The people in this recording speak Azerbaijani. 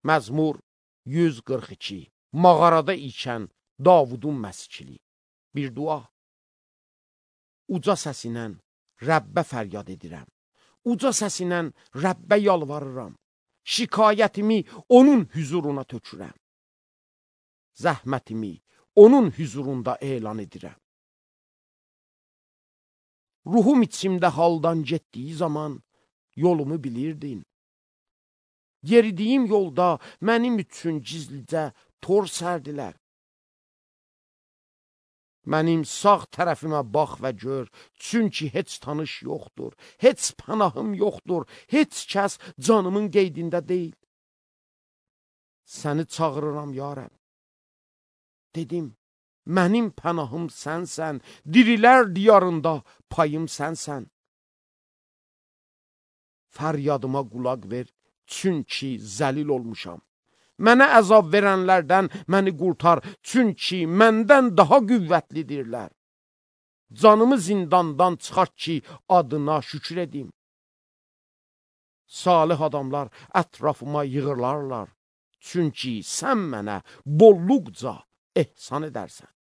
Məzmur 142. Mağarada ikən Davudun məskili. Bir dua. Uca səsinlə Rəbbə fəryad edirəm. Uca səsinlə Rəbbə yalvarıram. Şikayətimi onun hüzuruna tökürəm. Zəhmətimi onun hüzurunda elan edirəm. Ruhum içimdə haldan getdiyi zaman yolumu bilirdin. Yeridiyim yolda mənim üçün gizlicə tor sərdilər. Mənim sağ tərəfimə bax və gör, çünki heç tanış yoxdur, heç pənahım yoxdur, heç kəs canımın qeydində deyil. Səni çağırıram ya Rəbb. Dedim, mənim pənahım sənsən, dirilər diyarında payım sənsən. Fəryadıma qulaq ver, çünki zəlil olmuşam. Mənə əzab verənlərdən məni qurtar, çünki məndən daha qüvvətlidirlər. Canımı zindandan çıxart ki, adına şükür edim. Salih adamlar ətrafıma yığılarlar, çünki sən mənə bolluqca ehsan edərsən.